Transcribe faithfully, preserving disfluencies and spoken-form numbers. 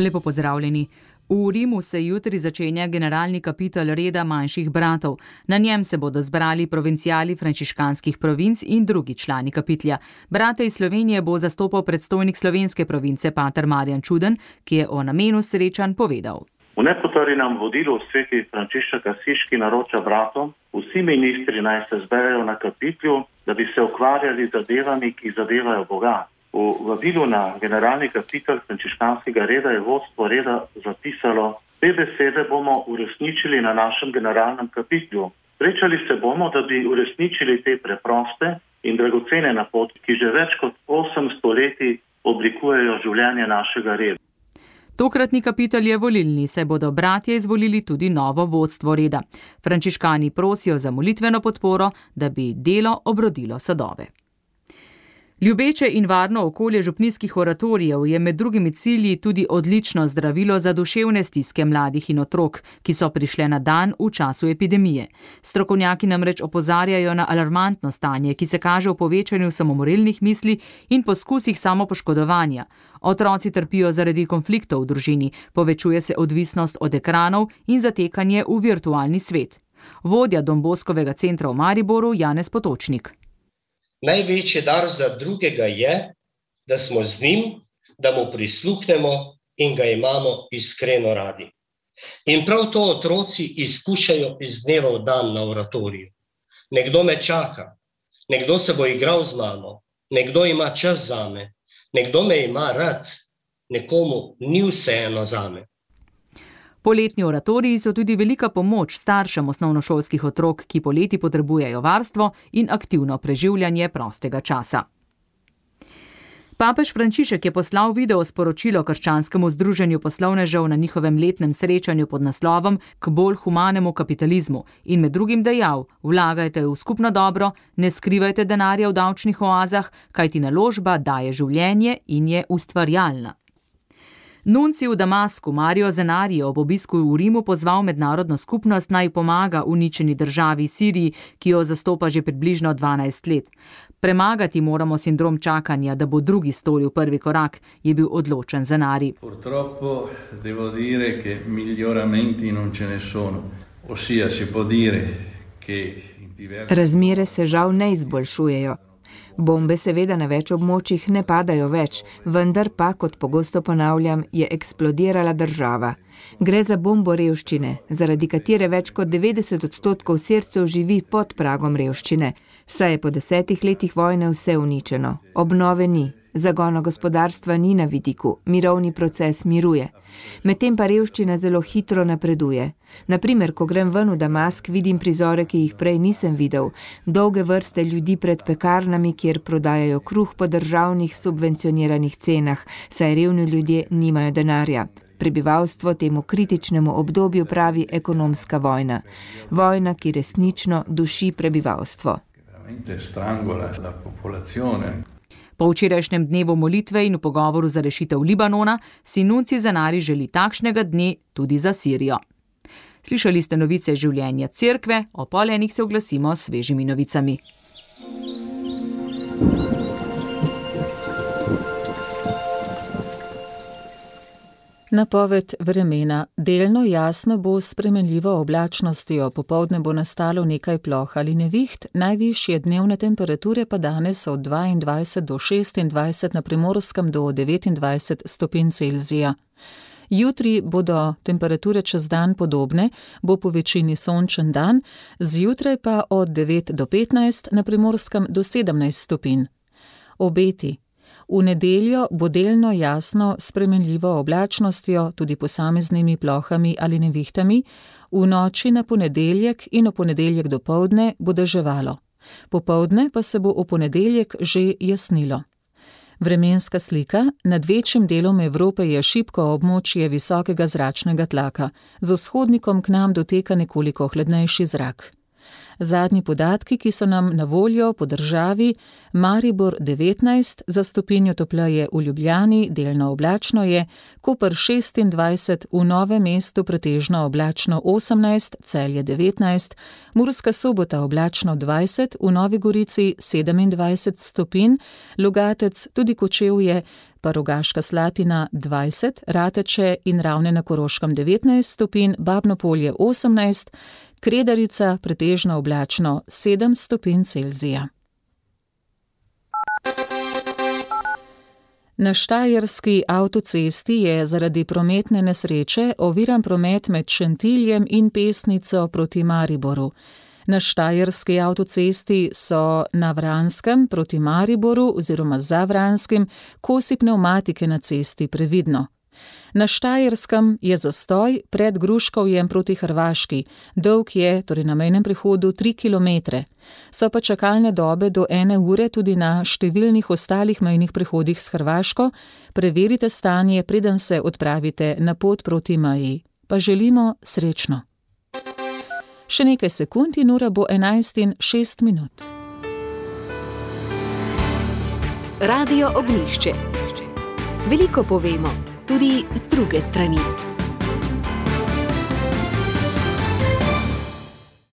Lepo pozdravljeni. V Rimu se jutri začenja generalni kapitel reda manjših bratov. Na njem se bodo zbrali provincijali frančiškanskih provinc in drugi člani kapitlja. Brate iz Slovenije bo zastopal predstojnik slovenske province pater Marjan Čuden, ki je o namenu srečanj povedal. V nepotrjenem vodilu sveti Frančišek Asiški naroča bratom, vsi ministri naj se zberejo na kapitlju, da bi se ukvarjali z zadevami, ki zadevajo Boga. V vabilu na generalni kapitel frančiškanskega reda je vodstvo reda zapisalo: te besede bomo uresničili na našem generalnem kapitlju. Srečali se bomo, da bi uresničili te preproste in dragocene napotke, ki že več kot osemsto leti oblikujejo življenje našega reda. Tokratni kapitel je volilni, saj bodo bratje izvolili tudi novo vodstvo reda. Frančiškani prosijo za molitveno podporo, da bi delo obrodilo sadove. Ljubeče in varno okolje župnijskih oratorijev je med drugimi cilji tudi odlično zdravilo za duševne stiske mladih in otrok, ki so prišle na dan v času epidemije. Strokovnjaki namreč opozarjajo na alarmantno stanje, ki se kaže v povečanju samomorilnih misli in poskusih samopoškodovanja. Otroci trpijo zaradi konfliktov v družini, povečuje se odvisnost od ekranov in zatekanje v virtualni svet. Vodja Don Boskovega centra v Mariboru Janez Potočnik. Največji dar za drugega je, da smo z njim, da mu prisluhnemo in ga imamo iskreno radi. In prav to otroci izkušajo iz dneva v dan na oratoriju. Nekdo me čaka, nekdo se bo igral z mano, nekdo ima čas zame, nekdo me ima rad, nekomu ni vseeno zame. Poletni oratoriji so tudi velika pomoč staršem osnovnošolskih otrok, ki poleti potrebujejo varstvo in aktivno preživljanje prostega časa. Papež Frančišek je poslal video sporočilo krščanskemu združenju poslovnežev na njihovem letnem srečanju pod naslovom K bolj humanemu kapitalizmu in med drugim dejal: vlagajte v skupno dobro, ne skrivajte denarja v davčnih oazah, kajti naložba daje življenje in je ustvarjalna. Nuncij v Damasku Mario Zenari je ob obisku v Rimu pozval mednarodno skupnost naj pomaga uničeni državi Siriji, ki jo zastopa že približno dvanajst let. Premagati moramo sindrom čakanja, da bo drugi storil prvi korak, je bil odločen Zenari. Purtroppo devo dire che miglioramenti non ce ne sono. Ossia si può dire che Razmere se žal ne izboljšujejo. Bombe seveda na več območjih ne padajo več, vendar pa, kot pogosto ponavljam, je eksplodirala država. Gre za bombo revščine, zaradi katere več kot devetdeset odstotkov Sircev živi pod pragom revščine, saj je po desetih letih vojne vse uničeno. Obnove ni, zagona gospodarstva ni na vidiku, mirovni proces miruje. Medtem pa revščina zelo hitro napreduje. Naprimer, ko grem ven v Damask, vidim prizore, ki jih prej nisem videl. Dolge vrste ljudi pred pekarnami, kjer prodajajo kruh po državnih subvencioniranih cenah, saj revni ljudje nimajo denarja. Prebivalstvo temu kritičnemu obdobju pravi ekonomska vojna. Vojna, ki resnično duši prebivalstvo. Po včerajšnjem dnevu molitve in v pogovoru za rešitev Libanona si nuncij Zenari želi takšnega dne tudi za Sirijo. Slišali ste novice življenja cerkve, o pol enih se oglasimo s svežimi novicami. Napoved vremena. Delno jasno bo s spremenljivo oblačnostjo, popoldne bo nastalo nekaj ploh ali neviht, najvišje dnevne temperature pa danes od dvaindvajset do šestindvajset, na Primorskem do devetindvajset stopinj Celzija. Jutri bodo temperature čez dan podobne, bo po večini sončen dan, zjutraj pa od devet do petnajst, na Primorskem do sedemnajst stopinj. Obeti. V nedeljo bo delno jasno s spremenljivo oblačnostjo, tudi posameznimi plohami ali nevihtami, v noči na ponedeljek in v ponedeljek dopoldne bo deževalo. Popoldne pa se bo v ponedeljek že jasnilo. Vremenska slika. Nad večjim delom Evrope je šibko območje visokega zračnega tlaka. Z vzhodnikom k nam doteka nekoliko hladnejši zrak. Zadnji podatki, ki so nam na voljo po državi: Maribor devetnajst, za stopinjo topleje v Ljubljani, delno oblačno je, Koper šestindvajset, v Novem mestu pretežno oblačno osemnajst, Celje devetnajst, Murska Sobota oblačno dvajset, v Novi Gorici sedemindvajset stopinj, Logatec, tudi Kočevje, pa Rogaška Slatina dvajset, Rateče in Ravne na Koroškem devetnajst stopinj, Babno Polje osemnajst, Kredarica pretežno oblačno sedem stopinj Celzija. Na štajerski avtocesti je zaradi prometne nesreče oviran promet med Šentiljem in Pesnico proti Mariboru. Na štajerski avtocesti so na Vranskem proti Mariboru oziroma za Vranskim kosi pnevmatike na cesti, previdno. Na Štajerskem je zastoj pred Gruškovjem proti Hrvaški, dolg je, torej na mejnem prehodu, tri kilometre. So pa čakalne dobe do ene ure tudi na številnih ostalih mejnih prehodih s Hrvaško. Preverite stanje, preden se odpravite na pot proti meji. Pa želimo srečno. Še nekaj sekund in ura bo enajst in šest minut. Radio Ognjišče. Veliko povemo, tudi z druge strani.